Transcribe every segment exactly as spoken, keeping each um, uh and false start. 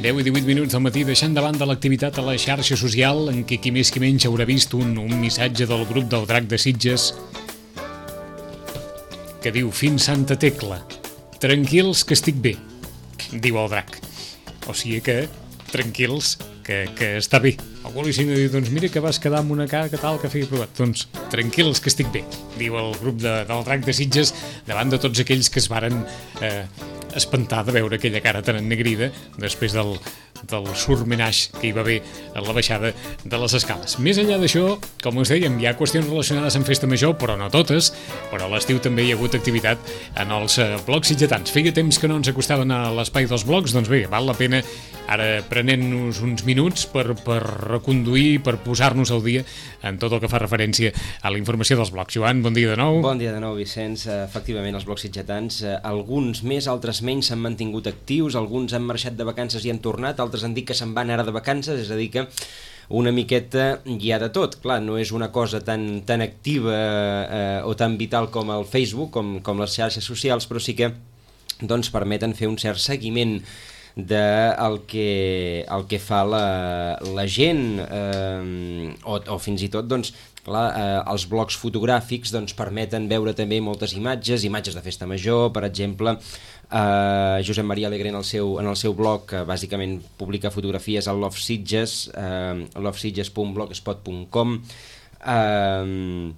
deu i divuit minuts del matí, deixant de banda l'activitat a la xarxa social en què qui més qui menys haurà vist un, un missatge del grup del Drac de Sitges que diu: fins Santa Tecla, tranquils que estic bé, diu el Drac. O sigui que, tranquils, que, que està bé. Algú li signa i diu: doncs mira que vas quedar amb una cara que tal que feia provat. Doncs tranquils que estic bé, diu el grup de, del Drac de Sitges davant de tots aquells que es varen eh, espantar de veure aquella cara tan ennegrida després del, del surmenatge que hi va haver a la baixada de les escales. Més enllà d'això, com us dèiem, hi ha qüestions relacionades amb Festa Major, però no totes, però a l'estiu també hi ha hagut activitat en els eh, blocs sitgetans. Feia temps que no ens acostaven a l'espai dels blocs, doncs bé, val la pena ara prenent-nos uns minuts per, per reconduir, per posar-nos al dia en tot el que fa referència a la informació dels blocs. Joan, bon dia de nou. Bon dia de nou, Vicenç. Efectivament, els blocs sitgetans, alguns més, altres menys, s'han mantingut actius, alguns han marxat de vacances i han tornat, altres han dit que se'n van ara de vacances, és a dir que una miqueta hi ha de tot. Clar, no és una cosa tan, tan activa eh, o tan vital com el Facebook, com, com les xarxes socials, però sí que doncs, permeten fer un cert seguiment del que, el que fa la, la gent eh, o, o fins i tot doncs, clar, eh, els blocs fotogràfics doncs, permeten veure també moltes imatges, imatges de Festa Major, per exemple. Uh, Josep Maria Alegre en el seu, en el seu blog, que bàsicament publica fotografies al Love Sitges, uh, love sitges punt blogspot punt com, uh,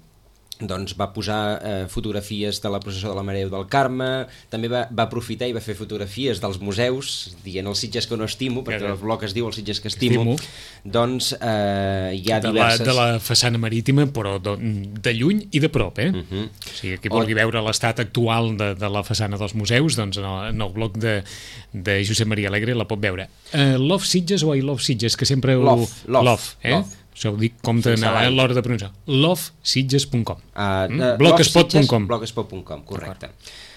doncs va posar eh, fotografies de la processó de la Mare del Carme, també va, va aprofitar i va fer fotografies dels museus, dient els Sitges que no estimo, perquè el blog es diu els Sitges que estimo, estimo. Doncs eh, hi ha de diverses... La, de la façana marítima, però de, de lluny i de prop, eh? Uh-huh. O sigui, qui vulgui o... veure l'estat actual de, de la façana dels museus, doncs en el, en el blog de, de Josep Maria Alegre la pot veure. Uh, Love Sitges o I Love Sitges, que sempre ho... Love, love, love, eh? Love. Això ho dic com a l'hora de pronunciar. love sitges punt com. Uh, mm? blogspot punt com. blogspot punt com, correcte.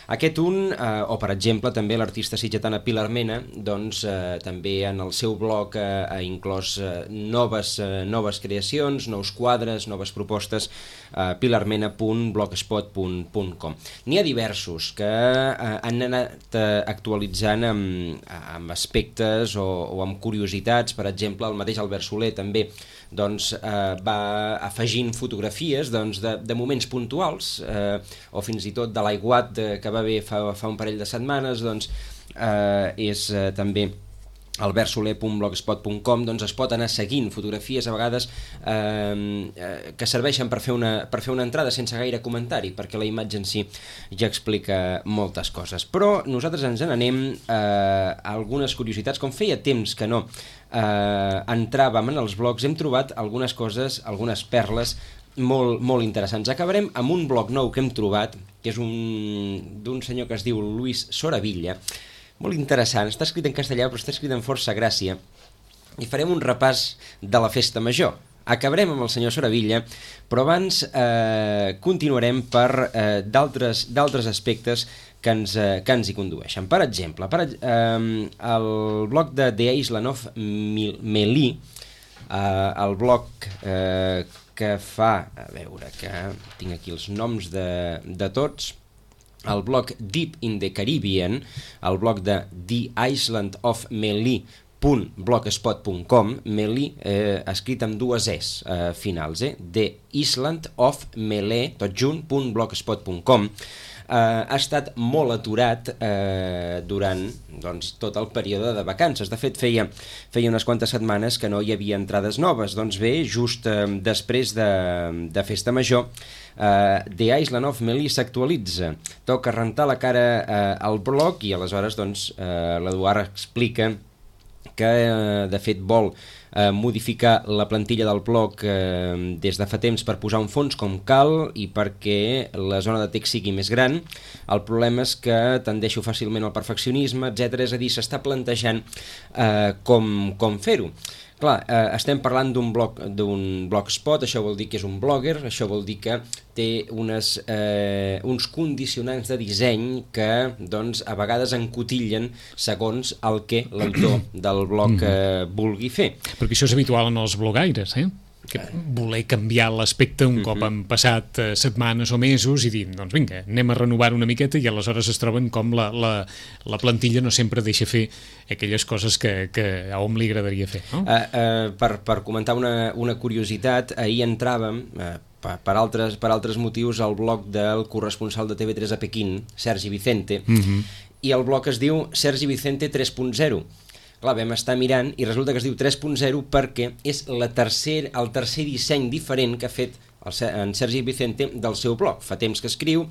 Aquest un, eh, o per exemple també l'artista sitgetana Pilar Mena, doncs eh, també en el seu blog eh, ha inclòs eh, noves, eh, noves creacions, nous quadres, noves propostes, eh, pilarmena punt blogspot punt com. N'hi ha diversos que eh, han anat eh, actualitzant amb, amb aspectes o, o amb curiositats. Per exemple, el mateix Albert Soler també doncs, eh, va afegint fotografies doncs, de, de moments puntuals eh, o fins i tot de l'aiguat de, que va haver fa, fa un parell de setmanes, doncs, eh, és eh, també albert soler punt blogspot punt com, doncs es pot anar seguint fotografies a vegades eh, eh, que serveixen per fer, una, per fer una entrada sense gaire comentari, perquè la imatge en si ja explica moltes coses. Però nosaltres ens n'anem eh, a algunes curiositats. Com feia temps que no eh, entràvem en els blogs, hem trobat algunes coses, algunes perles molt, molt interessants. Acabarem amb un blog nou que hem trobat, que és un d'un senyor que es diu Luis Soravilla, molt interessant, està escrit en castellà però està escrit en força gràcia, i farem un repàs de la Festa Major. Acabarem amb el senyor Soravilla, però abans eh, continuarem per eh, d'altres d'altres aspectes que ens, eh, que ens hi condueixen. Per exemple, per, eh, el blog de The Island of Melee, eh, el blog eh, que fa, a veure, que tinc aquí els noms de, de tots, el blog Deep in the Caribbean, el blog de The Island of Melee punt blogspot punt com, Melee eh, escrit amb dues es eh, finals, eh? The Island of Melee, tot junt, punt blogspot punt com. Uh, ha estat molt aturat uh, durant doncs, tot el període de vacances. De fet, feia, feia unes quantes setmanes que no hi havia entrades noves. Doncs bé, just uh, després de, de Festa Major, uh, The Island of Melee s'actualitza. Toca rentar la cara uh, al blog i aleshores doncs, uh, l'Eduard explica que uh, de fet vol eh, modificar la plantilla del blog eh, des de fa temps per posar un fons com cal i perquè la zona de text sigui més gran. El problema és que tendeixo fàcilment al perfeccionisme, etcètera. És a dir, s'està plantejant eh, com, com fer-ho. Clar, eh, estem parlant d'un blog, d'un blogspot, això vol dir que és un blogger, això vol dir que té unes, eh, uns condicionants de disseny que doncs, a vegades encotillen segons el que l'autor del blog eh, vulgui fer. Perquè això és habitual en els blogaires, eh? que voler canviar l'aspecte un cop han passat eh, setmanes o mesos i dir, doncs vinga, anem a renovar una miqueta, i aleshores es troben com la, la, la plantilla no sempre deixa fer aquelles coses que, que a hom li agradaria fer, no? Uh, uh, per, per comentar una, una curiositat, ahir entràvem uh, per, per, altres, per altres motius al blog del corresponsal de T V tres a Pequín, Sergi Vicente, mm-hmm. i el blog es diu Sergi Vicente tres punt zero. Clar, vam estar mirant i resulta que es diu tres punt zero perquè és la tercer, el tercer disseny diferent que ha fet el, en Sergi Vicente del seu blog. Fa temps que escriu,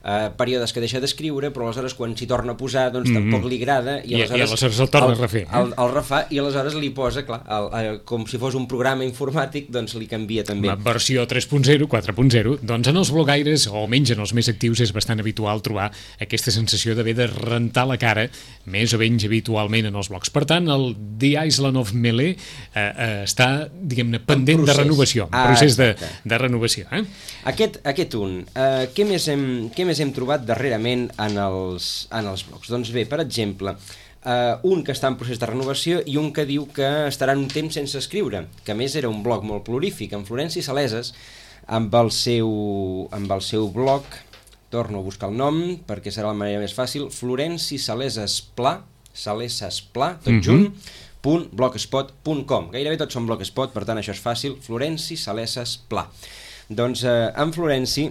eh, períodes que deixa d'escriure, però aleshores quan s'hi torna a posar doncs mm-hmm. tampoc li agrada i aleshores, I, i aleshores el torna el, a refer. Eh? El, el refà i aleshores li posa, clar, el, el, com si fos un programa informàtic, doncs li canvia també. La versió tres punt zero, quatre punt zero, doncs en els blogaires, o almenys en els més actius, és bastant habitual trobar aquesta sensació d'haver de rentar la cara més o menys habitualment en els blogs. Per tant, el The Island of Melee eh, eh, està, diguem-ne, pendent de renovació, en procés de, de renovació. Eh? Aquest, aquest un, eh, què, més hem, què més hem trobat darrerament en els, en els blogs? Doncs bé, per exemple, eh, un que està en procés de renovació i un que diu que estarà un temps sense escriure, que a més era un blog molt prolífic, en Florenci Saleses, amb el seu, amb el seu blog, torno a buscar el nom perquè serà la manera més fàcil, Florenci Saleses Pla, Saleses Pla, tot mm-hmm. junt, punt blogspot punt com. Gairebé tots són blogspot, per tant això és fàcil, Florenci Saleses Pla. Doncs eh, en Florenci,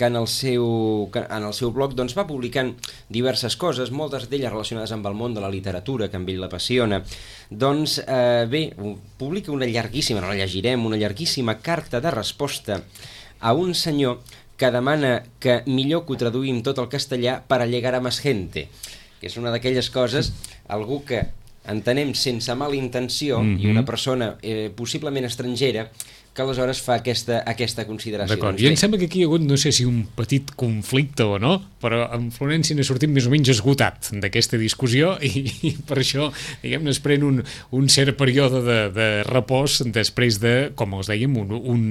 que en el seu, que en el seu blog doncs, va publicant diverses coses, moltes d'elles relacionades amb el món de la literatura, que amb ell l'apassiona. Doncs eh, bé, publica una llarguíssima, no la llegirem, una llarguíssima carta de resposta a un senyor que demana que millor que ho traduïm tot al castellà per a llegar a més gente, que és una d'aquelles coses, algú que entenem sense mala intenció, mm-hmm. i una persona eh, possiblement estrangera, que aleshores fa aquesta, aquesta consideració. D'acord, i em sembla que aquí hi ha hagut, no sé si un petit conflicte o no, però en Florenci n'ha sortit més o menys esgotat d'aquesta discussió i, i per això, diguem-ne, es pren un, un cert període de, de repòs després de, com els dèiem, un, un,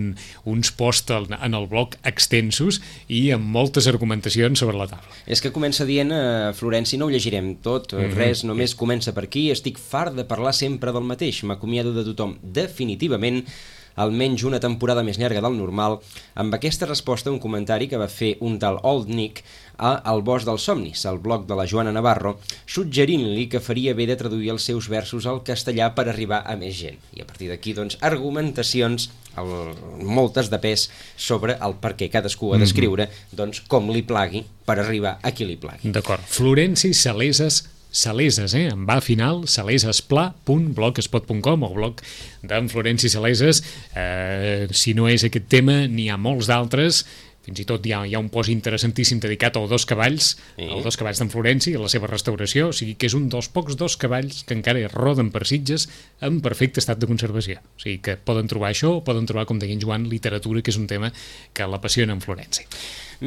uns posts en el blog extensos i amb moltes argumentacions sobre la taula. És que comença dient, eh, Florenci, no ho llegirem tot, mm-hmm. res, només comença per aquí, estic fart de parlar sempre del mateix, m'acomiado de tothom definitivament, almenys una temporada més llarga del normal, amb aquesta resposta un comentari que va fer un tal Old Nick a El Bosc dels Somnis, al blog de la Joana Navarro, suggerint-li que faria bé de traduir els seus versos al castellà per arribar a més gent. I a partir d'aquí, doncs, argumentacions, el, moltes de pes, sobre el per què cadascú ha d'escriure, doncs, com li plagui per arribar a qui li plagui. D'acord. Florenci Saleses Saleses, eh? En va final, salesespla punt blogspot punt com, o blog d'en Florenci Saleses. Eh, si no és aquest tema, n'hi ha molts d'altres. Fins i tot hi ha, hi ha un post interessantíssim dedicat als dos cavalls, sí. als dos cavalls d'en Florenci, a la seva restauració, o sigui que és un dels pocs dos cavalls que encara roden per Sitges en perfecte estat de conservació. O sigui que poden trobar això, o poden trobar, com deia en Joan, literatura, que és un tema que l'apassiona en Florenci.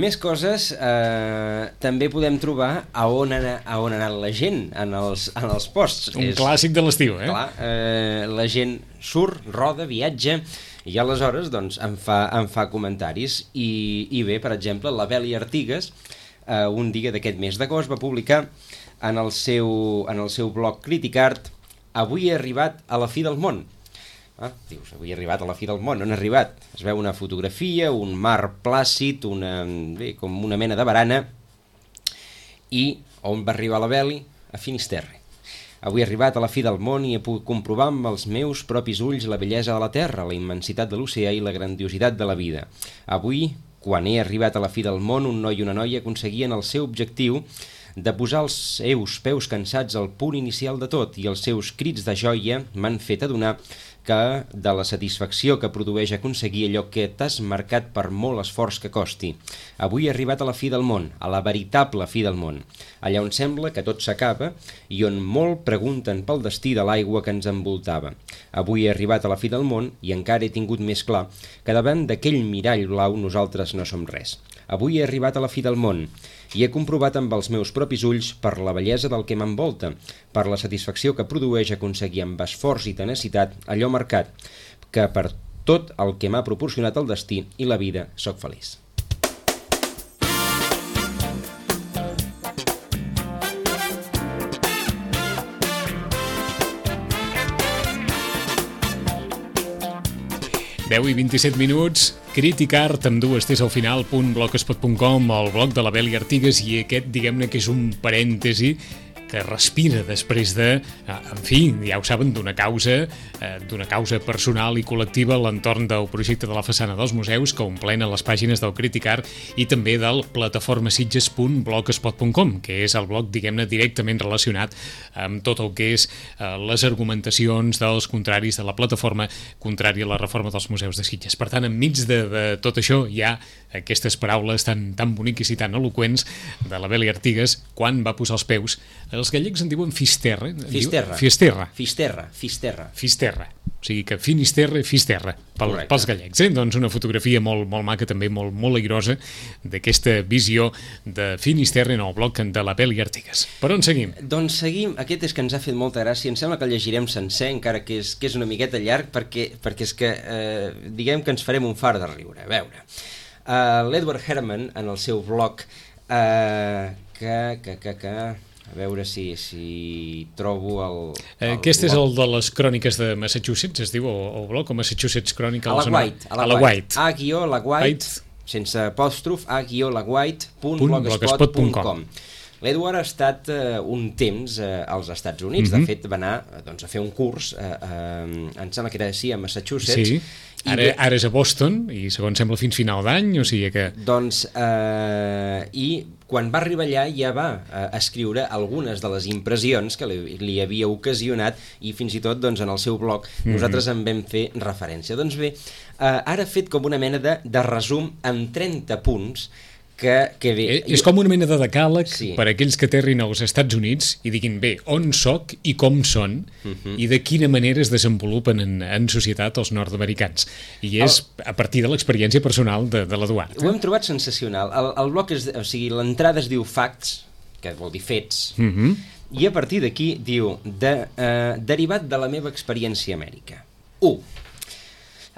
Més coses, eh, també podem trobar a on, ha, a on ha anat la gent en els, en els posts. Un és, clàssic de l'estiu, eh? Clar, eh, la gent surt, roda, viatja, i aleshores doncs, em, fa, em fa comentaris. I, i bé, per exemple, la Beli Artigas, eh, un dia d'aquest mes d'agost, va publicar en el seu, en el seu blog Criticart: avui he arribat a la fi del món. Ah, dius, avui he arribat a la fi del món. On ha arribat? Es veu una fotografia, un mar plàcid, una, bé, com una mena de barana. I on va arribar la Beli? A Finisterre. Avui he arribat a la fi del món i he pogut comprovar amb els meus propis ulls la bellesa de la terra, la immensitat de l'oceà i la grandiositat de la vida. Avui, quan he arribat a la fi del món, un noi i una noia aconseguien el seu objectiu de posar els seus peus cansats al punt inicial de tot, i els seus crits de joia m'han fet adonar que de la satisfacció que produeix aconseguir allò que t'has marcat per molt esforç que costi. Avui he arribat a la fi del món, a la veritable fi del món, allà on sembla que tot s'acaba i on molt pregunten pel destí de l'aigua que ens envoltava. Avui he arribat a la fi del món i encara he tingut més clar que davant d'aquell mirall blau nosaltres no som res. Avui he arribat a la fi del món i he comprovat amb els meus propis ulls per la bellesa del que m'envolta, per la satisfacció que produeix aconseguir amb esforç i tenacitat allò marcat, que per tot el que m'ha proporcionat el destí i la vida sóc feliç. deu i vint-i-set minuts, Criticart amb dues T's al final, punt blogspot punt com, el blog de la Beli Artigas, i aquest, diguem-ne que és un parèntesi que respira després de, en fi, ja ho saben, d'una causa, d'una causa personal i col·lectiva a l'entorn del projecte de la façana dels museus que omplena les pàgines del Criticart i també del plataformasitges punt blogspot punt com, que és el blog, diguem-ne, directament relacionat amb tot el que és les argumentacions dels contraris de la plataforma contrària a la reforma dels museus de Sitges. Per tant, enmig de, de tot això hi ha aquestes paraules tan, tan boniques i tan eloqüents de la Beli Artigas quan va posar els peus. Els gallecs en diuen Fisterra. Fisterra. Fisterra. Fisterra. Fisterra. Fisterra. O sigui que Finisterra i Fisterra pel, pels gallecs. Eh? Doncs una fotografia molt, molt maca, també molt, molt airosa, d'aquesta visió de Finisterra en el blog de la Beli Artigas. Per on seguim? Doncs seguim. Aquest és que ens ha fet molta gràcia. Em sembla que el llegirem sencer, encara que és, que és una miqueta llarg, perquè, perquè és que eh, diguem que ens farem un far de riure. A veure, uh, l'Edward Herman, en el seu blog, uh, que... que, que, que a veure si, si trobo el... el Aquest blog. és el de les cròniques de Massachusetts, es diu, o, o blog, o Massachusetts Chronicles? A la White. A la, a la White. A guió la White, sense apòstrof, a guió la White, punt blogspot punt com. L'Edward ha estat uh, un temps uh, als Estats Units, mm-hmm. de fet va anar doncs, a fer un curs, uh, uh, em sembla que era així, a Massachusetts. Sí, ara, ara és a Boston i segons sembla fins final d'any, o sigui que... Doncs, uh, i quan va arribar allà ja va uh, escriure algunes de les impressions que li, li havia ocasionat i fins i tot doncs, en el seu blog mm-hmm. nosaltres en vam fer referència. Doncs bé, uh, ara ha fet com una mena de, de resum amb trenta punts que, que bé... És com una mena de decàleg sí. per aquells que aterrin als Estats Units i diguin, bé, on soc i com són uh-huh. i de quina manera es desenvolupen en, en societat els nord-americans. I és el... a partir de l'experiència personal de, de l'Eduard. Ho hem trobat sensacional. El, el bloc és... O sigui, l'entrada es diu facts, que vol dir fets, uh-huh. i a partir d'aquí diu de, eh, derivat de la meva experiència a Amèrica. u.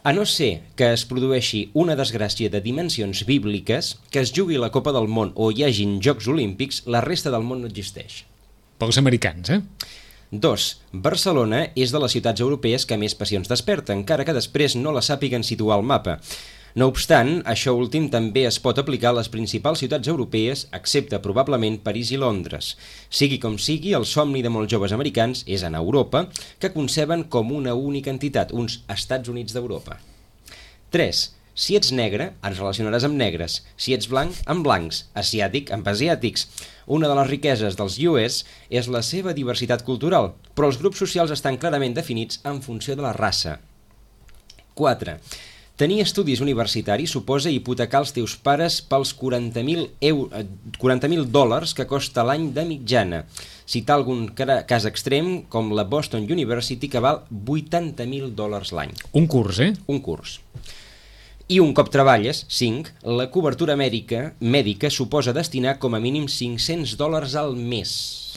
A no ser que es produeixi una desgràcia de dimensions bíbliques, que es jugui la Copa del Món o hi hagin Jocs Olímpics, la resta del món no existeix. Pels americans, eh? dos. Barcelona és de les ciutats europees que més passions desperta, encara que després no la sàpiguen situar al mapa. No obstant, això últim també es pot aplicar a les principals ciutats europees, excepte probablement París i Londres. Sigui com sigui, el somni de molts joves americans és en Europa, que conceben com una única entitat, uns Estats Units d'Europa. tres. Si ets negre, ens relacionaràs amb negres. Si ets blanc, amb blancs. Asiàtic, amb asiàtics. Una de les riqueses dels U S és la seva diversitat cultural, però els grups socials estan clarament definits en funció de la raça. quatre. Tenir estudis universitaris suposa hipotecar els teus pares pels quaranta mil dòlars que costa l'any de mitjana. Citar algun cas extrem, com la Boston University, que val vuitanta mil dòlars l'any. Un curs, eh? Un curs. I un cop treballes, cinc, la cobertura mèdica, mèdica suposa destinar com a mínim cinc-cents dòlars al mes.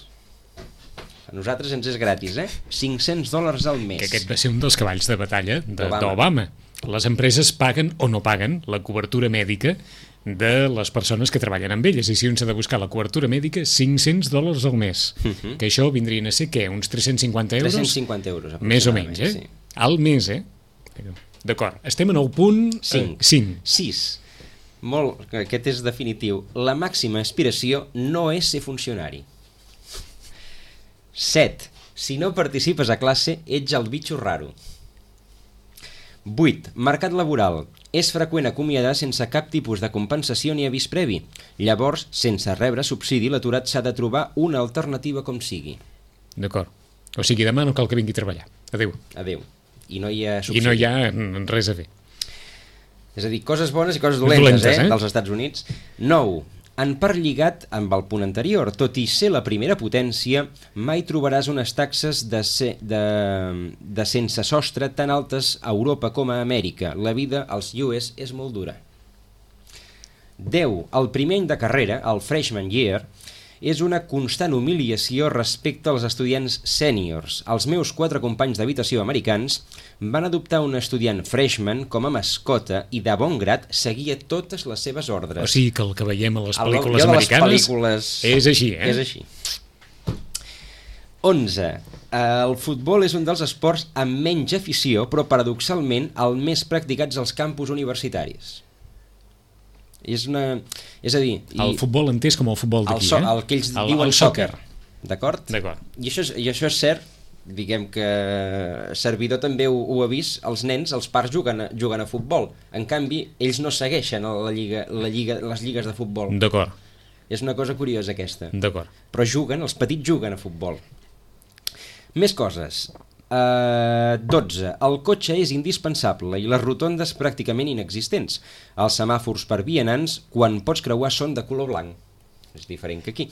A nosaltres ens és gratis, eh? cinc-cents dòlars al mes. Que aquest va ser un dels cavalls de batalla d'Obama. Les empreses paguen o no paguen la cobertura mèdica de les persones que treballen amb elles, i si un s'ha de buscar la cobertura mèdica, cinc-cents dòlars al mes, uh-huh. que això vindrien a ser, què, uns tres-cents cinquanta euros? tres-cents cinquanta euros, més o menys, eh? Sí. Al mes, eh? D'acord, estem en el punt cinc. sis. Molt, aquest és definitiu. La màxima aspiració no és ser funcionari. set. Si no participes a classe, ets el bitxo raro. vuit. Mercat laboral. És freqüent acomiadar sense cap tipus de compensació ni avís previ. Llavors, sense rebre subsidi, l'aturat s'ha de trobar una alternativa com sigui. D'acord. O sigui, demà no cal que vingui a treballar. Adéu. Adéu. I no hi ha subsidi. I no hi ha res a fer. És a dir, coses bones i coses dolentes, dolentes eh, eh? dels Estats Units. nou. En part lligat amb el punt anterior, tot i ser la primera potència, mai trobaràs unes taxes de, se, de, de sense sostre tan altes a Europa com a Amèrica. La vida als U S és molt dura. deu. El primer any de carrera, el freshman year, és una constant humiliació respecte als estudiants sèniors. Els meus quatre companys d'habitació americans van adoptar un estudiant freshman com a mascota i de bon grat seguia totes les seves ordres. O sigui que el que veiem a les pel·lícules americanes pel·lícules... és així, eh? És així. onze. El futbol és un dels esports amb menys afició, però paradoxalment el més practicats als campus universitaris. És una... És a dir... El futbol entès com el futbol d'aquí, so, eh? El que ells el, diuen el soccer. D'acord? D'acord. I això, és, I això és cert, diguem que servidor també ho, ho ha vist, els nens, els pares juguen a, juguen a futbol. En canvi, ells no segueixen la lliga, la lliga, les lligues de futbol. D'acord. És una cosa curiosa aquesta. D'acord. Però juguen, els petits juguen a futbol. Més coses. Uh, dotze. El cotxe és indispensable i les rotondes pràcticament inexistents. Els semàfors per vianants, quan pots creuar, són de color blanc. És diferent que aquí.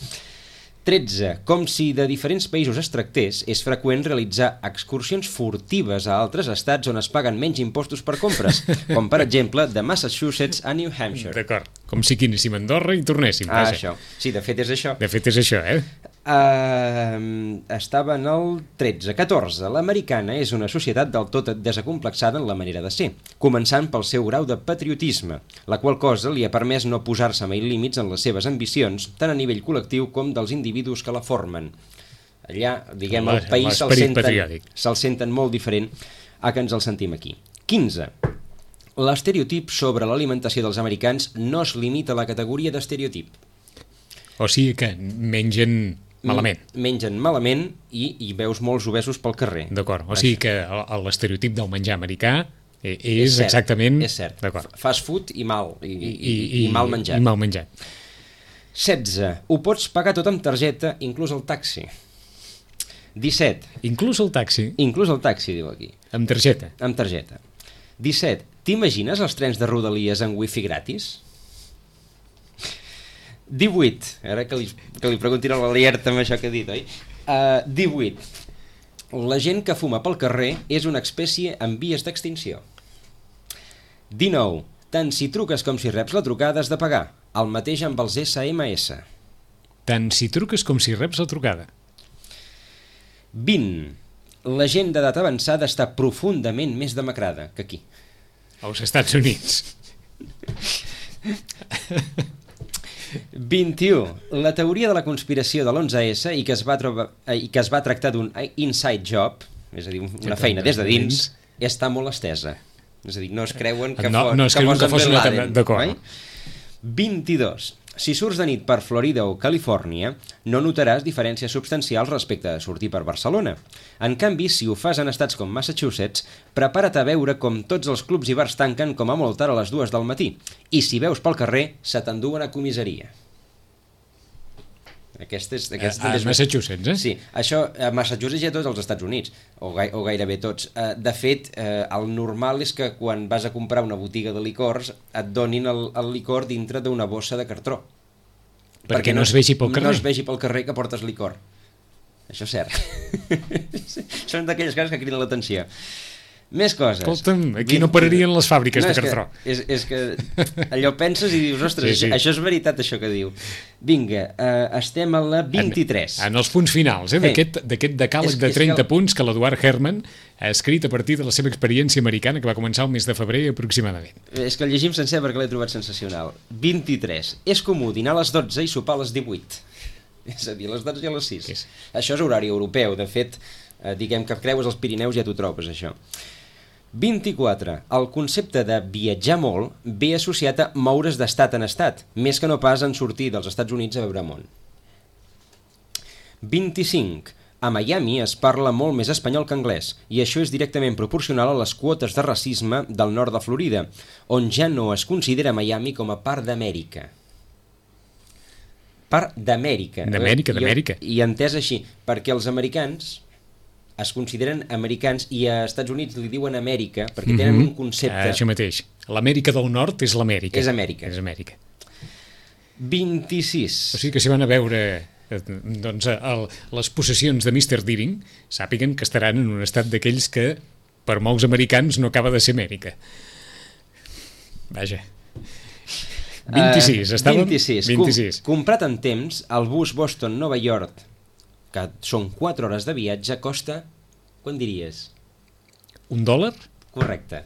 tretze. Com si de diferents països es tractés, és freqüent realitzar excursions furtives a altres estats on es paguen menys impostos per compres, com per exemple de Massachusetts a New Hampshire. D'acord. Com si quinéssim a Andorra i tornéssim. Ah, vaja. això. Sí, de fet és això. De fet és això, eh? Uh, estava en el tretze. catorze. L'americana és una societat del tot desacomplexada en la manera de ser, començant pel seu grau de patriotisme, la qual cosa li ha permès no posar-se mai límits en les seves ambicions, tant a nivell col·lectiu com dels individus que la formen. Allà, diguem, el país se'l senten, se'l senten molt diferent a que ens el sentim aquí. quinze. L'estereotip sobre l'alimentació dels americans no es limita a la categoria d'estereotip. O sigui que mengen malament. Mengen malament i, i veus molts obesos pel carrer. D'acord. O sigui que l'estereotip del menjar americà és, és cert, exactament... És cert. Fast food i mal. I, i, i, i mal menjat. I mal menjat. setze. Ho pots pagar tot amb targeta, inclús el taxi. disset. Inclús el taxi? Inclús el taxi, diu aquí. Amb targeta? Amb targeta. disset. T'imagines els trens de Rodalies amb wifi gratis? divuit. Ara que li, que li preguntin a l'Alierta amb això que he dit, oi? Uh, divuit. La gent que fuma pel carrer és una espècie en vies d'extinció. dinou. Tant si truques com si reps la trucada has de pagar. El mateix amb els esse eme esse. Tant si truques com si reps la trucada. vint. La gent d'edat avançada està profundament més demacrada que aquí. Als Estats Units. vint-i-u. La teoria de la conspiració de l'onze esse i que es va, trobar, i que es va tractar d'un inside job, és a dir, una feina des de dins, està molt estesa. És a dir, no es creuen que, no, fos, no es creuen que, que fos una Laden, d'acord. vint-i-dos. Si surts de nit per Florida o Califòrnia, no notaràs diferències substancials respecte a sortir per Barcelona. En canvi, si ho fas en estats com Massachusetts, prepara't a veure com tots els clubs i bars tanquen com a molt tard a les dues del matí. I si veus pel carrer, se t'enduen a comissaria. Aquesta és, aquesta a, a és... Massachusetts, eh? Sí, això a Massachusetts i a tots els Estats Units, o, gai, o gairebé tots. De fet, el normal és que quan vas a comprar una botiga de licors et donin el, el licor dintre d'una bossa de cartró. Perquè, perquè no es vegi pel carrer. No es vegi pel carrer que portes licor. Això és cert. Són d'aquelles coses que criden l'atenció. Més coses. Escolta'm, aquí no pararien les fàbriques no, de cartró. És, és que allò penses i dius, ostres, sí, sí. Això és veritat, això que diu. Vinga, uh, estem a la vint-i-tres. En, en els punts finals, eh, d'aquest decàleg de trenta que... punts que l'Eduard Herman ha escrit a partir de la seva experiència americana que va començar el mes de febrer aproximadament. És que el llegim sencer perquè l'he trobat sensacional. vint-i-tres. És comú dinar a les dotze i sopar a les divuit. És a dir, a les dotze i a les sis. És? Això és horari europeu. De fet, eh, diguem que creues els Pirineus ja t'ho trobes, això. vint-i-quatre. El concepte de viatjar molt ve associat a moure's d'estat en estat, més que no pas en sortir dels Estats Units a veure món. vint-i-cinc. A Miami es parla molt més espanyol que anglès, i això és directament proporcional a les quotes de racisme del nord de Florida, on ja no es considera Miami com a part d'Amèrica. Part d'Amèrica. D'Amèrica, d'Amèrica. I, I entès així, perquè els americans es consideren americans i a Estats Units li diuen Amèrica perquè tenen mm-hmm. un concepte... Ah, això mateix. L'Amèrica del Nord és l'Amèrica. És Amèrica. És Amèrica. vint-i-sis. O sigui que si van a veure doncs, el, les possessions de mister Deering, sàpiguen que estaran en un estat d'aquells que per molts americans no acaba de ser Amèrica. Vaja. vint-i-sis. Uh, estàvem? vint-i-sis. vint-i-sis. Com, comprat en temps, el bus Boston-Nova York, que són quatre hores de viatge, costa, quan diries? Un dòlar? Correcte.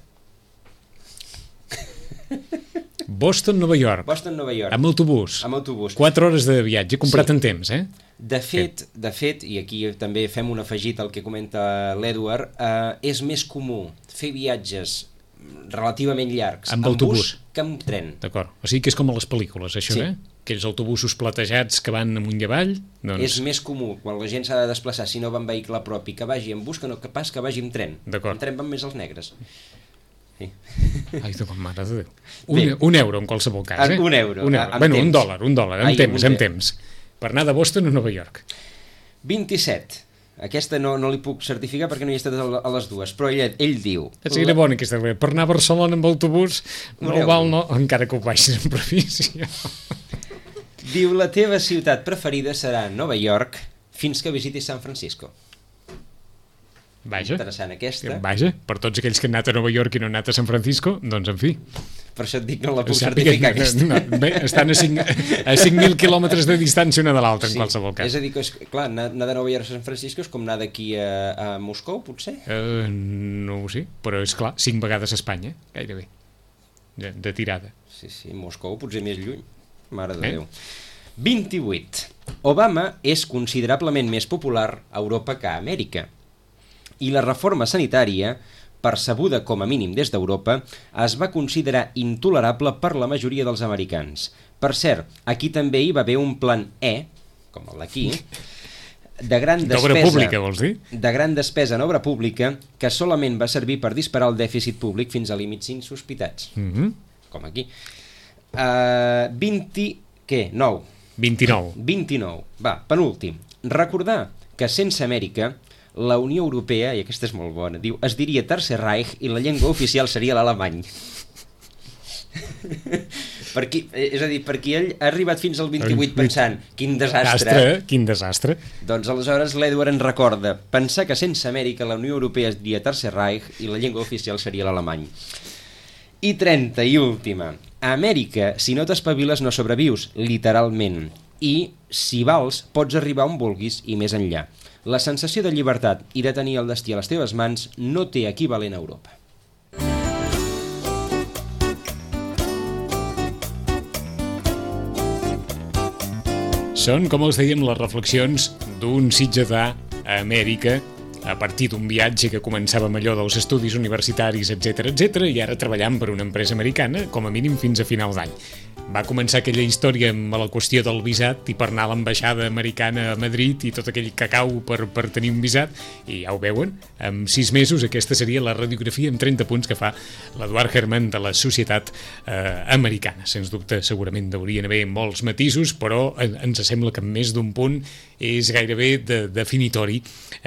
Boston, Nova York. Boston, Nova York. Amb autobús. Amb autobús. Quatre hores de viatge, comprat Sí. en temps, eh? De fet, de fet, i aquí també fem un afegit al que comenta l'Edward, eh, és més comú fer viatges relativament llargs Amb en autobús. bus que amb tren. D'acord. O sigui que és com a les pel·lícules, això, Sí. eh? Aquells autobusos platejats que van amunt i avall, doncs... És més comú, quan la gent s'ha de desplaçar, si no va en vehicle propi, que vagi en bus que no que pas que vagi en tren. D'acord. En tren van més els negres. Sí. Ai, de com mare de Déu. Bé. Un, un euro en qualsevol cas, eh? Un euro, Un a- euro. amb Bueno, un temps. dòlar, un dòlar, amb Ai, temps, un amb temps. temps. Per anar de Boston a Nova York. vint-i-set. Aquesta no, no li puc certificar perquè no hi he estat a a les dues, però ell, ell diu... És era bona aquesta. Per anar a Barcelona amb autobús, Un no euro. val, no, encara que ho baixis en previsió. Diu, la teva ciutat preferida serà Nova York fins que visitis San Francisco. Vaja, Interessant aquesta. vaja, per tots aquells que han anat a Nova York i no han anat a San Francisco, doncs en fi. Per això et dic que no la puc Sàpiga- certificar aquesta. no, bé, estan a cinc a cinc mil quilòmetres de distància una de l'altra, en qualsevol cas. És a dir, que és, clar, anar, anar de Nova York a San Francisco és com anar d'aquí a, a Moscou, potser? Uh, no ho sé, però és clar, cinc vegades a Espanya, gairebé, de, de tirada. Sí, sí, Moscou potser més lluny. Mare de Eh? Déu. vint-i-vuit. Obama és considerablement més popular a Europa que a Amèrica. I la reforma sanitària, percebuda com a mínim des d'Europa, es va considerar intolerable per la majoria dels americans. Per cert, aquí també hi va haver un plan E, com el d'aquí, de gran D'obra despesa, pública, vols dir? de gran despesa en obra pública que solament va servir per disparar el dèficit públic fins a límits insospitats, Mm -hmm. com aquí. Uh, vint... què? nou. vint-i-nou. vint-i-nou. Va, penúltim. Recordar que sense Amèrica, la Unió Europea, i aquesta és molt bona, diu, es diria Tercer Reich i la llengua oficial seria l'alemany. Per qui, és a dir, perquè ell ha arribat fins al vint-i-vuit pensant, quin desastre. Desastre, quin desastre. Doncs aleshores l'Edward ens recorda pensar que sense Amèrica la Unió Europea es diria Tercer Reich i la llengua oficial seria l'alemany. I trenta i última. A Amèrica, si no t'espaviles no sobrevius, literalment. I, si vals, pots arribar on vulguis i més enllà. La sensació de llibertat i de tenir el destí a les teves mans no té equivalent a Europa. Són, com els dèiem, les reflexions d'un sitgetà a Amèrica a partir d'un viatge que començava amb allò dels estudis universitaris, etc etc i ara treballant per una empresa americana, com a mínim fins a finals d'any. Va començar aquella història amb la qüestió del visat i per anar a l'ambaixada americana a Madrid i tot aquell cacau per, per tenir un visat, i ja ho veuen, en sis mesos aquesta seria la radiografia en trenta punts que fa l'Eduard Herman de la societat eh, americana. Sens dubte, segurament haurien haver molts matisos, però en, ens sembla que en més d'un punt és gairebé de, definitori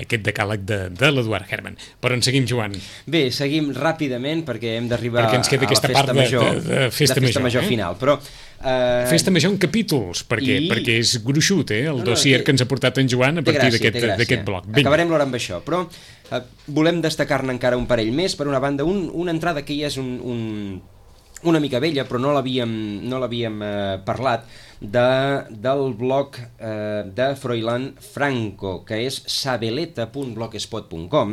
aquest decàleg de, de l'Eduard Herman. Però en seguim, Joan. Bé, seguim ràpidament perquè hem d'arribar Perquè ens queda a la aquesta festa part de- major, de- de festa major, major eh? final. Però, eh, Festa major en capítols, perquè, i- perquè és gruixut, eh? El No, no, dossier té- que ens ha portat en Joan a té partir gràcia, té d'aquest gràcia. d'aquest bloc. Vinga. Acabarem l'hora amb això, però eh, volem destacar-ne encara un parell més. Per una banda, un, una entrada que ja és un, un, una mica vella, però no l'havíem no l'havíem eh, parlat, de, del blog eh, de Froilán Franco, que és sabeleta punt blogspot punt com.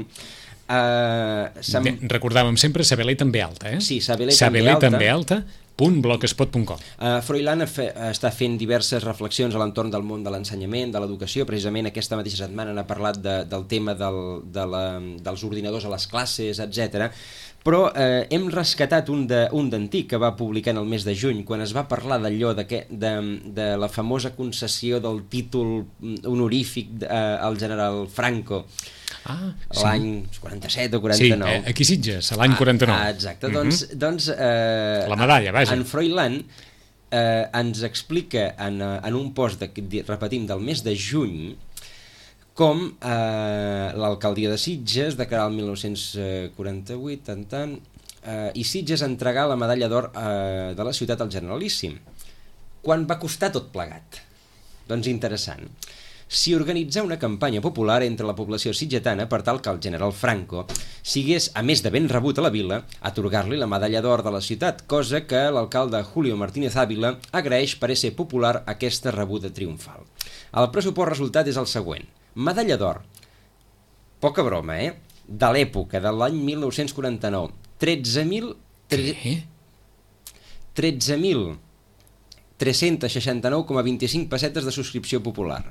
Eh, De, recordàvem sempre Sabeleta amb B alta, eh? Sí, Sabeleta amb B Sabeleta alta. amb B alta, punt blogspot punt com. Uh, Froilán fe, està fent diverses reflexions a l'entorn del món de l'ensenyament, de l'educació. Precisament aquesta mateixa setmana n'ha parlat de, del tema del, de la, dels ordinadors a les classes, etcètera. Però eh, hem rescatat un de, un d'antic que va publicar en el mes de juny, quan es va parlar d'allò de, que, de, de la famosa concessió del títol honorífic eh, al general Franco. Ah, sí. L'any quaranta-set o Sí, quaranta-nou. eh, aquí Sitges, a l'any quaranta-nou. Ah, exacte, doncs, mm -hmm. doncs eh, La medalla, vaja. En Froilán eh, ens explica en, eh, en un post, de, repetim, del mes de juny, com eh, l'alcaldia de Sitges, de cara al dinou quaranta-vuit, tant, tant, eh, i Sitges entregà la medalla d'or eh, de la ciutat al Generalíssim. Quan va costar tot plegat? Doncs interessant. Si organitzar una campanya popular entre la població sitgetana per tal que el general Franco sigués, a més de ben rebut a la vila, atorgar-li la medalla d'or de la ciutat, cosa que l'alcalde Julio Martínez Ávila agraeix per ser popular aquesta rebuda triomfal. El pressupost resultat és el següent. Medalla d'or, poca broma, eh? De l'època, de l'any dinou quaranta-nou, tretze mil... Què? tretze mil tres-cents seixanta-nou coma vint-i-cinc pessetes de subscripció popular.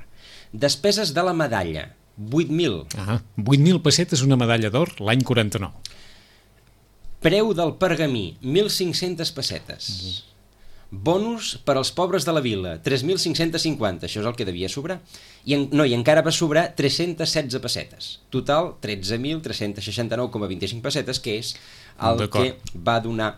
Despeses de la medalla, vuit mil. Ah, vuit mil pessetes una medalla d'or l'any quaranta-nou. Preu del pergamí, mil cinc-centes pessetes. Mm. Bonus per als pobres de la vila, tres mil cinc-cents cinquanta, això és el que devia sobrar. I en, no, i encara va sobrar tres-cents setze pessetes. Total, tretze mil tres-cents seixanta-nou coma vint-i-cinc pessetes, que és el que va donar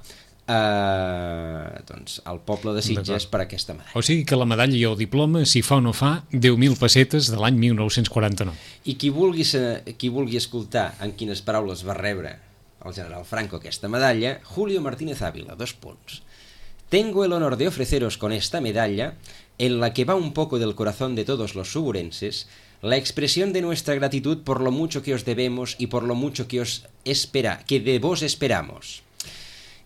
eh, doncs, al poble de Sitges per aquesta medalla. O sigui que la medalla i el diploma, si fa o no fa, deu mil pessetes de l'any mil nou-cents quaranta-nou. I qui vulgui, qui vulgui escoltar en quines paraules va rebre el general Franco aquesta medalla, Julio Martínez Ávila, dos punts. Tengo el honor de ofreceros con esta medalla, en la que va un poco del corazón de todos los suburenses, la expresión de nuestra gratitud por lo mucho que os debemos y por lo mucho que os espera, que de vos esperamos.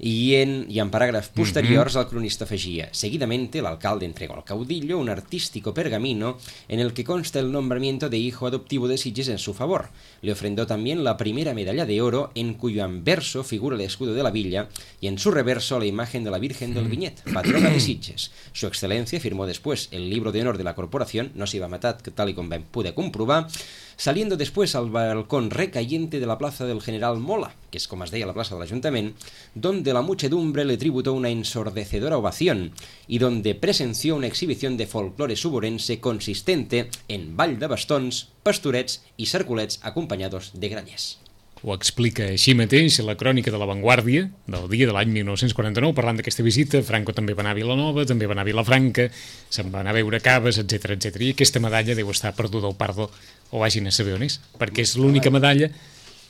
Y en, y en parágrafos posteriores el cronista afegía: seguidamente el alcalde entregó al caudillo un artístico pergamino en el que consta el nombramiento de hijo adoptivo de Sitges en su favor. Le ofrendó también la primera medalla de oro, en cuyo anverso figura el escudo de la villa y en su reverso la imagen de la Virgen del Viñet, patrona de Sitges. Su excelencia firmó después el libro de honor de la corporación, no se iba a matar, tal y como pude comprobar, saliendo después al balcón recayente de la plaza del General Mola, que es como es deia la plaza del Ayuntamiento, donde la muchedumbre le tributó una ensordecedora ovación y donde presenció una exhibición de folclore suburense consistente en ball de bastons, pastorets i cerculets acompanyats de granyers. Ho explica així mateix la crònica de La Vanguardia del dia de l'any mil nou-cents quaranta-nou, parlant d'aquesta visita. Franco també va anar a Vilanova, també va anar a Vilafranca, se'n va anar a veure caves, etcètera, etcètera. I aquesta medalla deu estar perduda al Pardo, o vagin a saber on és, perquè és l'única medalla...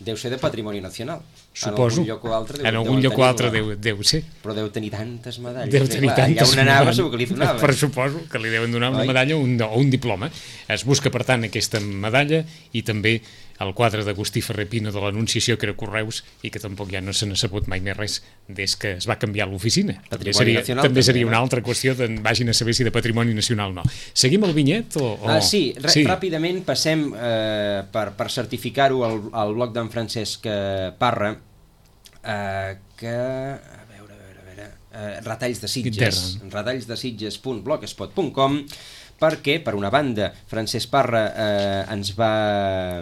Deu ser de patrimoni nacional. Suposo. En algun lloc o altre deu, en algun lloc o altre deu, deu ser. Però deu tenir tantes medalles. Deu tenir clar, tantes allà on anava segur que li donaven. Per suposo que li deuen donar una Oi? medalla o un, o un diploma. Es busca, per tant, aquesta medalla i també el quadre d'Agustí Ferrer Pino de l'Anunciació, que era Correus, i que tampoc ja no se n'ha sabut mai més res des que es va canviar l'oficina. També seria, nacional, també seria una altra qüestió de vagin a saber si de patrimoni nacional o no. Seguim el vinyet? O, o... Ah, sí, sí, ràpidament passem eh, per, per certificar-ho al, al blog d'en Francesc Parra, eh, que... a veure, a veure, a veure... Eh, retalls de Sitges, retalls de Sitges punt blogspot punt com, perquè, per una banda, Francesc Parra eh, ens va,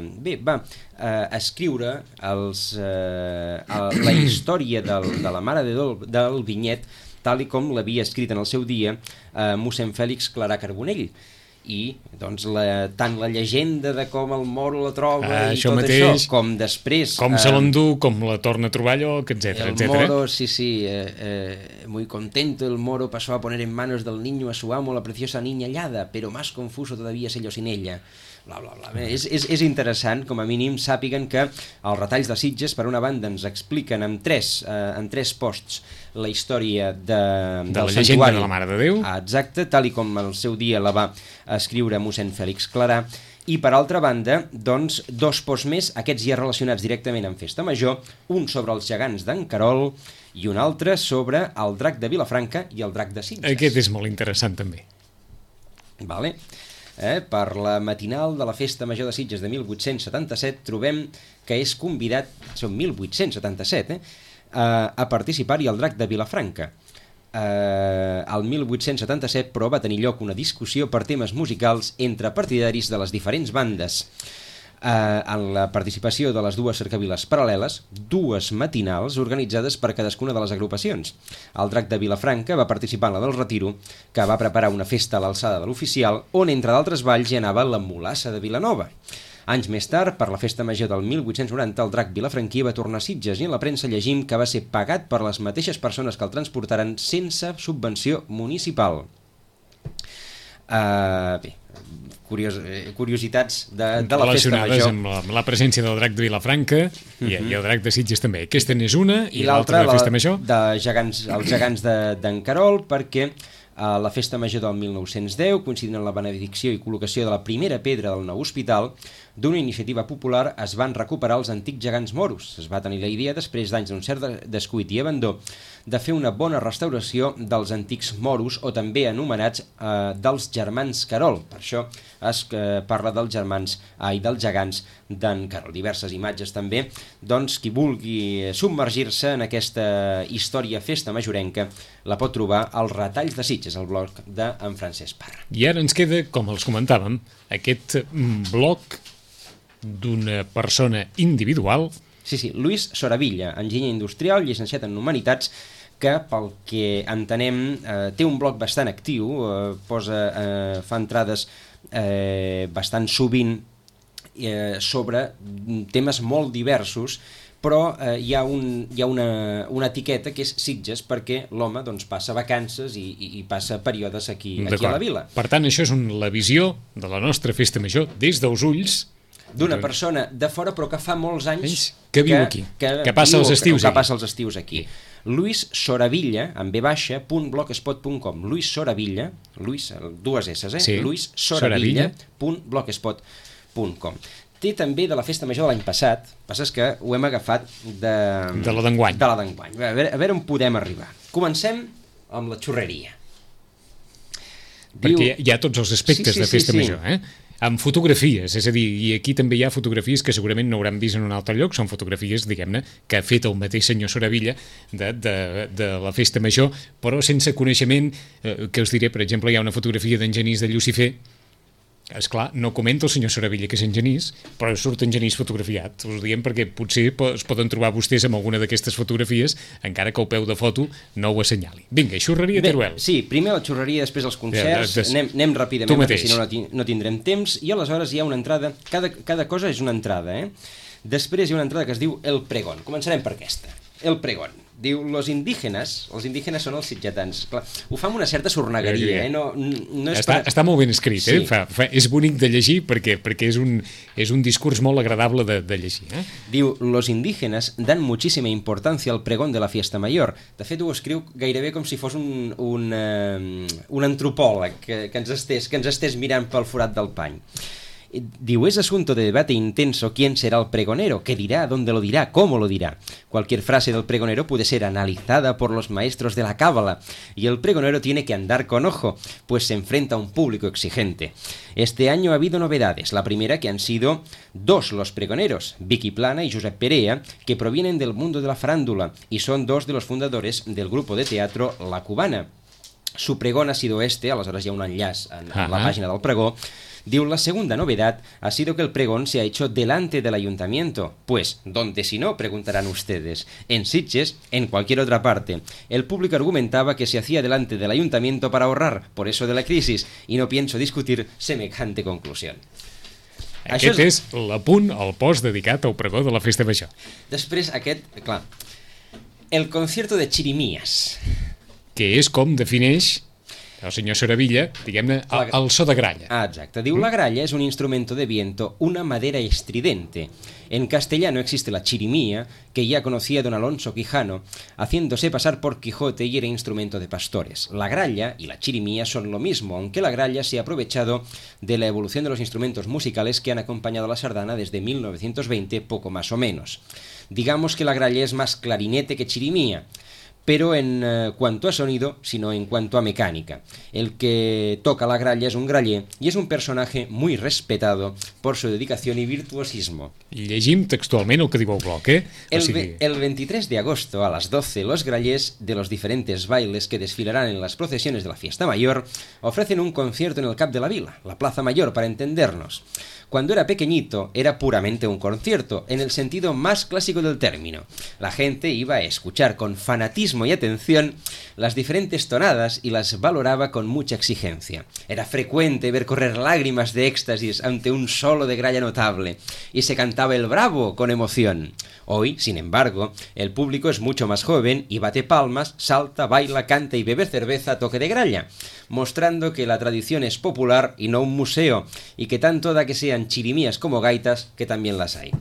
bé, va eh, escriure els, eh, el, la història del, de la mare de del, del vinyet, tal i com l'havia escrit en el seu dia eh, mossèn Fèlix Clarà Carbonell. I doncs la, tant la llegenda de com el moro la troba ah, i tot mateix, això, com després... Com eh, se l'endú, com la torna a trobar lloc, etcètera, el etcètera. Moro, sí, sí, eh, eh, muy contento el moro pasó a poner en manos del niño a su amo la preciosa niña hallada, pero más confuso todavía es ello sin ella. Bla, bla, bla. Bé, és, és, és interessant, com a mínim, sàpiguen que els retalls de Sitges, per una banda, ens expliquen en tres, eh, en tres posts la història de, de del la llegenda de la Mare de Déu. Ah, exacte, tal i com el seu dia la va escriure mossèn Fèlix Clarà. I per altra banda, doncs, dos posts més, aquests ja relacionats directament amb Festa Major, un sobre els gegants d'en Carol i un altre sobre el drac de Vilafranca i el drac de Sitges. Aquest és molt interessant també. Vale. Eh, per la matinal de la Festa Major de Sitges de mil vuit-cents setanta-set trobem que és convidat, són mil vuit-cents setanta-set, eh, a participar-hi el drac de Vilafranca. Eh, el mil vuit-cents setanta-set, però, va tenir lloc una discussió per temes musicals entre partidaris de les diferents bandes. Eh, en la participació de les dues cercaviles paral·leles, dues matinals organitzades per cadascuna de les agrupacions. El drac de Vilafranca va participar en la del Retiro, que va preparar una festa a l'alçada de l'oficial, on, entre d'altres balls, hi anava la mulassa de Vilanova. Anys més tard, per la Festa Major del mil vuit-cents noranta, el drac vilafranquí va tornar a Sitges i en la premsa llegim que va ser pagat per les mateixes persones que el transportaren sense subvenció municipal. Uh, bé, curios, eh, curiositats de, de la Festa Major. Amb la, amb la presència del drac de Vilafranca i, uh-huh. i el drac de Sitges també. Aquesta n'és una i, I l'altra de la Festa Major. De gegants, els gegants d'en de, Carol, perquè a la festa major del mil nou-cents deu, coincidint amb la benedicció i col·locació de la primera pedra del nou hospital, d'una iniciativa popular es van recuperar els antics gegants moros. Es va tenir la idea, després d'anys d'un cert descuit i abandó, de fer una bona restauració dels antics moros, o també anomenats eh, dels germans Carol. Per això es eh, parla dels germans ai, dels gegants d'en Carol. Diverses imatges també. Doncs qui vulgui submergir-se en aquesta història festa majorenca la pot trobar als Retalls de Sitges, el blog d'en Francesc Parra. I ara ens queda, com els comentàvem, aquest blog d'una persona individual. Sí, sí, Luis Soravilla, enginyer industrial, llicenciat en Humanitats, que pel que entenem eh, té un blog bastant actiu, eh, posa, eh, fa entrades eh, bastant sovint eh, sobre temes molt diversos, però eh, hi ha, un, hi ha una, una etiqueta que és Sitges, perquè l'home doncs, passa vacances i, i, i passa períodes aquí, aquí a la vila. Per tant, això és un, la visió de la nostra festa major des dels ulls d'una persona de fora però que fa molts anys que viu aquí, que, que passa els estius que, que passa els estius aquí. Luis Soravilla, amb ve baixa, punt blogspot punt com. Luis Soravilla, Luis, dues esses, eh? Sí. Luis Soravilla, punt blogspot punt com. Té també de la festa major de l'any passat, passa és que ho hem agafat de, de la d'enguany. De la d'enguany. A veure, a veure on podem arribar. Comencem amb la xurreria. Perquè Diu... hi ha tots els aspectes sí, sí, de festa sí, sí. major, eh? Amb fotografies, és a dir, i aquí també hi ha fotografies que segurament no hauran vist en un altre lloc, són fotografies, diguem-ne, que ha fet el mateix senyor Soravilla de, de, de la festa major, però sense coneixement, eh, que us diré, per exemple, hi ha una fotografia d'en Genís de Llucifer. Esclar, no comenta el senyor Soravilla que és en Genís, però surt en Genís fotografiat. Us ho diem perquè potser es poden trobar vostès amb alguna d'aquestes fotografies, encara que el peu de foto no ho assenyali. Vinga, xurreria, Teruel. Sí, primer la xurreria, després els concerts, ja, des... anem, anem ràpidament perquè si no no tindrem temps, i aleshores hi ha una entrada, cada, cada cosa és una entrada, eh? Després hi ha una entrada que es diu El Pregón. Començarem per aquesta. El Pregón. Diu, los indígenes, els indígenes són els sitgetans. Clar, ho fa amb una certa sornegueria, eh? No, no és està, per... està molt ben escrit, sí. eh? Fa, fa, és bonic de llegir perquè, perquè és, un, és un discurs molt agradable de, de llegir. Eh? Diu, los indígenes dan muchísima importancia al pregón de la fiesta mayor. De fet, ho escriu gairebé com si fos un, un, uh, un antropòleg que, que, ens estés, que ens estés mirant pel forat del pany. Diu, es asunto de debate intenso quién será el pregonero, qué dirá, dónde lo dirá, cómo lo dirá. Cualquier frase del pregonero puede ser analizada por los maestros de la cábala y el pregonero tiene que andar con ojo, pues se enfrenta a un público exigente. Este año ha habido novedades. La primera, que han sido dos los pregoneros, Vicky Plana y Josep Perea, que provienen del mundo de la farándula y son dos de los fundadores del grupo de teatro La Cubana. Su pregón ha sido este, aleshores hi ha un enllaç en, en la pàgina del pregó. Diu, la segunda novedad ha sido que el pregón se ha hecho delante del ayuntamiento. Pues, ¿dónde si no? Preguntarán ustedes. En Sitges, en cualquier otra parte. El público argumentaba que se hacía delante del ayuntamiento para ahorrar, por eso de la crisis, y no pienso discutir semejante conclusión. Aquest Això és... és l'apunt, el post dedicat al pregó de la festa major. Després, aquest, clar, el concierto de chirimías. Que és com defineix el senyor Soravilla, diguem-ne, el, el so de gralla. Ah, exacte. Diu, la gralla es un instrumento de viento, una madera estridente. En castellano existe la chirimía, que ya conocía don Alonso Quijano, haciéndose pasar por Quijote y era instrumento de pastores. La gralla y la chirimía son lo mismo, aunque la gralla se ha aprovechado de la evolución de los instrumentos musicales que han acompañado a la sardana desde mil novecientos veinte, poco más o menos. Digamos que la gralla es más clarinete que chirimía, pero en eh, cuanto a sonido, sino en cuanto a mecánica. El que toca la gralla es un graller y es un personaje muy respetado por su dedicación y virtuosismo. Llegim textualment el que diu el bloc, eh? El, o sigui... el veintitrés de agosto a las doce, los grallers de los diferentes bailes que desfilarán en las procesiones de la fiesta mayor ofrecen un concierto en el Cap de la Vila, la Plaza Mayor, para entendernos. Cuando era pequeñito, era puramente un concierto, en el sentido más clásico del término. La gente iba a escuchar con fanatismo y atención las diferentes tonadas y las valoraba con mucha exigencia. Era frecuente ver correr lágrimas de éxtasis ante un solo de gralla notable, y se cantaba el bravo con emoción. Hoy, sin embargo, el público es mucho más joven y bate palmas, salta, baila, canta y bebe cerveza a toque de gralla, mostrando que la tradición es popular y no un museo, y que tanto da que sean chirimías como gaitas, que también las hay.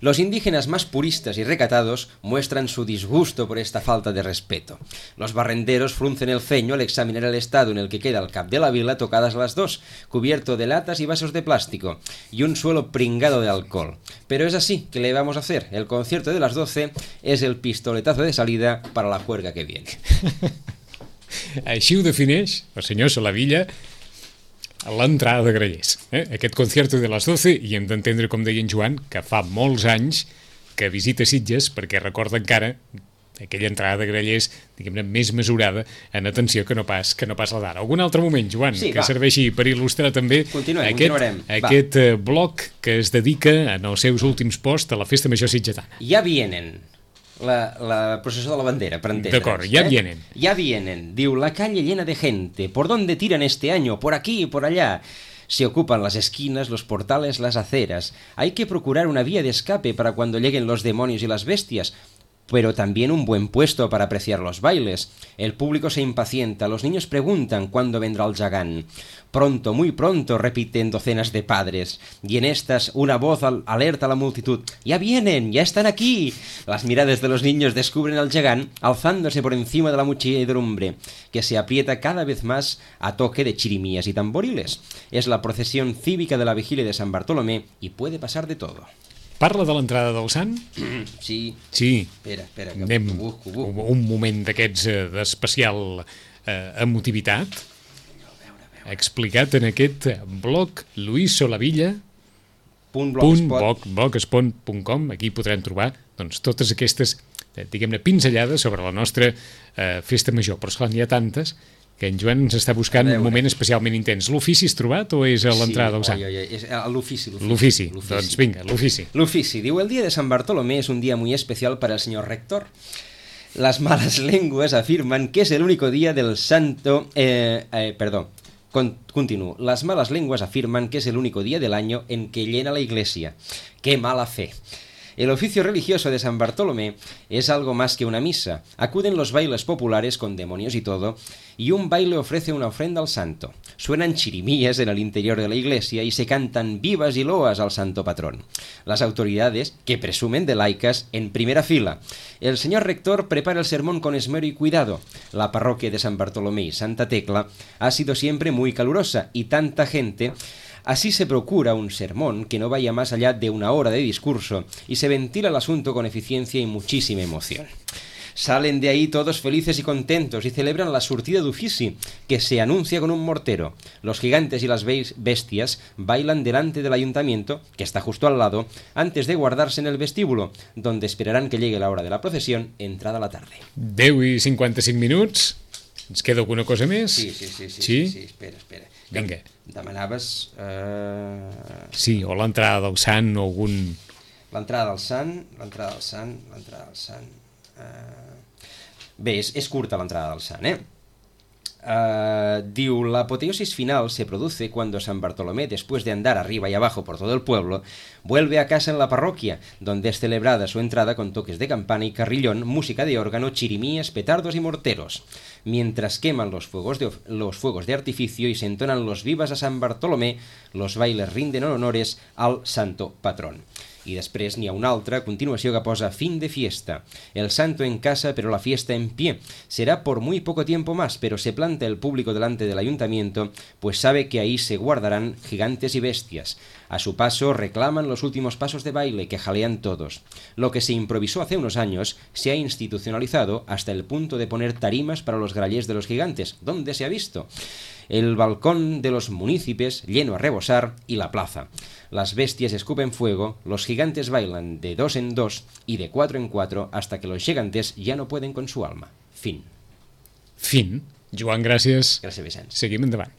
Los indígenas más puristas y recatados muestran su disgusto por esta falta de respeto. Los barrenderos fruncen el ceño al examinar el estado en el que queda el cap de la vila tocadas las dos, cubierto de latas y vasos de plástico, y un suelo pringado de alcohol. Pero es así, ¿qué le vamos a hacer? El concierto de las doce es el pistoletazo de salida para la juerga que viene. Així ho defineix el senyor Solavilla a l'entrada de Grallers. Eh? Aquest concierto de les doce, i hem d'entendre, com deia en Joan, que fa molts anys que visita Sitges, perquè recorda encara aquella entrada de Grallers, diguem-ne, més mesurada en atenció que no pas que no pas la d'ara. Algun altre moment, Joan, sí, que va. serveixi per il·lustrar també Continuem, aquest, continuarem. aquest va. bloc que es dedica en els seus últims posts a la Festa Major Sitgetana. Ja vienen. La, la processió de la bandera, per entendre's. D'acord, ya eh? vienen. Ya vienen. Diu, la calle llena de gente. ¿Por dónde tiran este año? Por aquí y por allá. Se ocupan las esquinas, los portales, las aceras. Hay que procurar una vía de escape para cuando lleguen los demonios y las bestias, pero también un buen puesto para apreciar los bailes. El público se impacienta, los niños preguntan cuándo vendrá el Yagán. Pronto, muy pronto, repiten docenas de padres, y en estas una voz al alerta a la multitud. ¡Ya vienen! ¡Ya están aquí! Las miradas de los niños descubren al Yagán alzándose por encima de la muchedumbre, que se aprieta cada vez más a toque de chirimías y tamboriles. Es la procesión cívica de la vigilia de San Bartolomé y puede pasar de todo. Parla de l'entrada del Sant? Sí. Sí. Espera, espera, que Anem ho busco, ho busco. un moment d'aquests eh, d'especial eh, emotivitat, explicat en aquest blog Luis Solavilla Punt punt blogspot. blogspot punt com. Aquí podrem trobar doncs, totes aquestes, eh, diguem-ne, pinzellades sobre la nostra eh, festa major. Però esclar, n'hi ha tantes que en Joan ens està buscant un moment especialment intens. L'ofici has trobat o és a l'entrada del Sant? Sí, oi, oi, és l'ofici. L'ofici, doncs vinga, l'ofici. L'ofici. Diu, el día de San Bartolomé es un día muy especial para el señor rector. Las malas lenguas afirman que es el único día del santo... Eh, eh, perdón, Con, continúo. Las malas lenguas afirman que es el único día del año en que llena la iglesia. ¡Qué mala fe! El oficio religioso de San Bartolomé es algo más que una misa. Acuden los bailes populares con demonios y todo, y un baile ofrece una ofrenda al santo. Suenan chirimías en el interior de la iglesia y se cantan vivas y loas al santo patrón. Las autoridades, que presumen de laicas, en primera fila. El señor rector prepara el sermón con esmero y cuidado. La parroquia de San Bartolomé y Santa Tecla ha sido siempre muy calurosa y tanta gente... Así se procura un sermón que no vaya más allá de una hora de discurso y se ventila el asunto con eficiencia y muchísima emoción. Salen de ahí todos felices y contentos y celebran la surtida d'ofici, que se anuncia con un mortero. Los gigantes y las bestias bailan delante del ayuntamiento, que está justo al lado, antes de guardarse en el vestíbulo, donde esperarán que llegue la hora de la procesión, entrada la tarde. deu i cinquanta-cinc minuts. Ens queda alguna cosa més? Sí, sí, sí, sí, sí? sí, sí espera, espera. Vinga. Demanaves... Eh... Sí, o l'entrada del Sant o algun... L'entrada del Sant, l'entrada del Sant, l'entrada del Sant... Eh... Bé, és, és curta l'entrada del Sant, eh? Uh, diu, la apoteosis final se produce cuando San Bartolomé, después de andar arriba y abajo por todo el pueblo, vuelve a casa en la parroquia, donde es celebrada su entrada con toques de campana y carrillón, música de órgano, chirimías, petardos y morteros, mientras queman los fuegos de, los fuegos de artificio y se entonan los vivas a San Bartolomé, los bailes rinden honores al santo patrón. I després n'hi ha una altra, a continuació, que posa fin de fiesta. El santo en casa, pero la fiesta en pie. Será por muy poco tiempo más, pero se planta el público delante del ayuntamiento, pues sabe que ahí se guardarán gigantes y bestias. A su paso reclaman los últimos pasos de baile, que jalean todos. Lo que se improvisó hace unos años se ha institucionalizado hasta el punto de poner tarimas para los grallers de los gigantes. ¿Dónde se ha visto? El balcón de los municipios lleno a rebosar y la plaza. Las bestias escupen fuego, los gigantes bailan de dos en dos y de cuatro en cuatro hasta que los gigantes ya no pueden con su alma. Fin. Fin. Joan, gràcies. Gràcies, Vicenç. Seguim endavant.